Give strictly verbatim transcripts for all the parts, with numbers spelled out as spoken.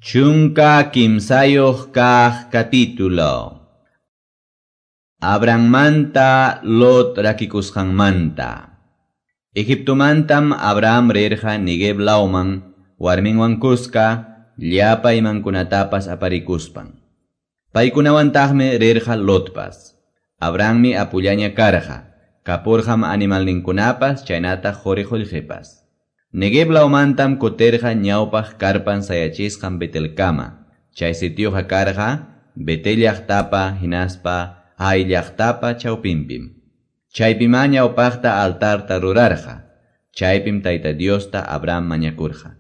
Chunka kimsayuq kaq capítulo. Abrahammanta Lot rakikusqanmanta. Egiptomantam Abraham rirqa Neguev lawman warminwan kuska llapa imankunatapas aparikuspan. Paykunawantaqmi rirqa Lotpas. Abrahammi apullaña karqa, kapurqam animalninkunapas chaynataq quri qullqipas. Neguev lawmantam kutirqa ñawpaq karpan sayachisqan Betelkama. Chay sitioqa karqa Betel llaqtapa hinaspa Hai llaqtapa chawpinpim. Chaypimá ñawpaqta altarta rurarqa. Chaypim Tayta Diosta Abraham mañakurqa.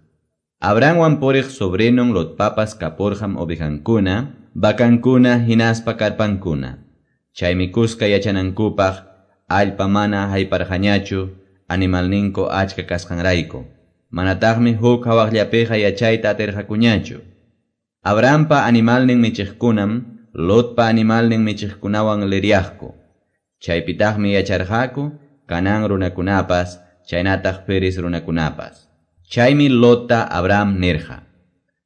Abrahamwan puriq sobrinon Lotpapas kapurqam ovejankuna, vacankuna hinaspa karpankuna. Chaymi kuska yachanankupaq allpa mana hayparqañachu animalninku achka kasqanrayku. Manataqmi huk hawaqllapiqa yachayta atirqakuñachu. Abrahampa animalnin michiqkunam Lotpa animalnin michiqkunawan liryaqku. Chaypitaqmi yacharqaku Canaán runakunapas, chaynataq Feres runakunapas. Chaymi Lotta Abraham nirqa: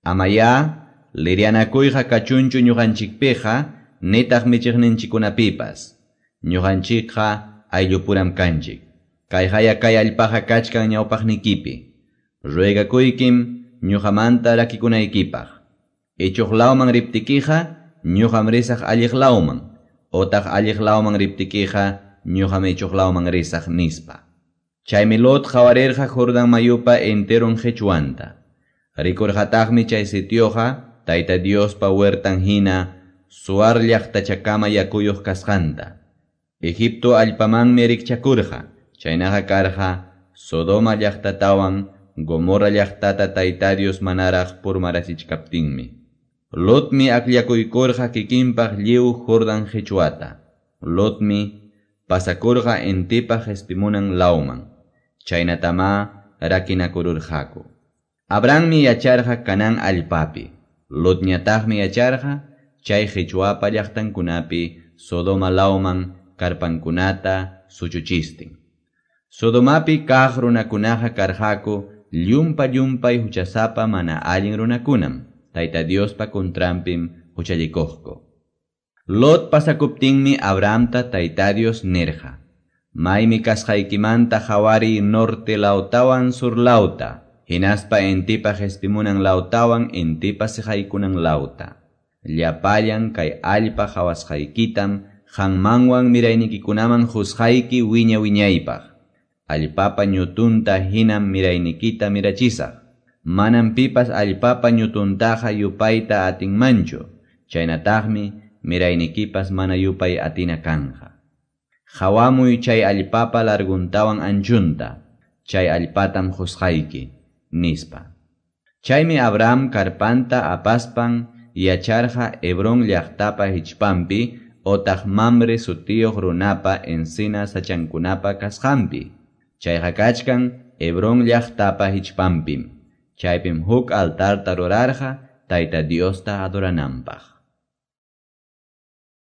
Amayá liryanakuyqa kachunchu ñuqanchikpiqa nitaq michiqninchikkunapipas. Ñuqanchikqa ayllupuram kanchik. Kayqaya kay allpaqa kachkan ñawpaqnikipi. Ruegakuykim ñuqamanta rakikunaykipaq. Ichuq lawman riptikiqa ñuqam risaq alliq lawman, otaq alliq lawman riptikiqa ñuqam ichuq lawman risaq nispa. Chaymi Lot qawarirqa Jordán mayupa enteron qichwanta. Rikurqataqmi chay sitioqa Tayta Diospa huertan hina Zoar llaqtachakama yakuyuq kasqanta. Egipto allpamanmi rikchakurqa. Chaynaqa karqa Sodoma llaqtatawan Gomorra llaqtata Tayta Dios manaraq purmarachichkaptinmi. Lotmi akllakuykurqa kikinpaq lliw Jordán qichwata. Lotmi pasakurqa intipa qispimunan lawman. Chaynatamá rakinakururqaku. Abrahammi yacharqa Canaán allpapi. Lotñataqmi yacharqa chay qichwapa llaqtankunapi Sodoma lawman karpankunata suchuchistin. Sodomapi kaq runakunaqa karqaku llumpa llumpay huchasapa mana allin runakunam. Tayta Diospa contranpim huchallikuqku. Lot pasakuptinmi Abrahamta Tayta Dios nirqa: Maymi kasqaykimanta qhawariy norte lawtawan sur lawta, hinaspa intipa qispimunan lawtawan intipa siqaykunan lawta. Llapallan kay allpa qhawasqaykitam qanmanwan miraynikikunaman qusqayki wiña wiñaypaq. Allpapa ñutunta hinam miraynikita mirachisaq. Manam pipas allpapa ñutuntaqa yupayta atinmanchu. Chaynataqmi miraynikipas mana yupay atina kanja. Qawamuy chay allpapa larguntawan anchunta. Chay allpatam qusqayki, nispa. Chaymi Abraham karpanta apaspan yacharqa Hebrón llaqtapa hichpanpi otaq Mamre sutiyuq runapa encina sachankunapa kasqanpi. Chayqa kachkan Hebrón llaqtapa hichpanpim. Chaypim huk altarta rurarqa Tayta Diosta adorananpaq.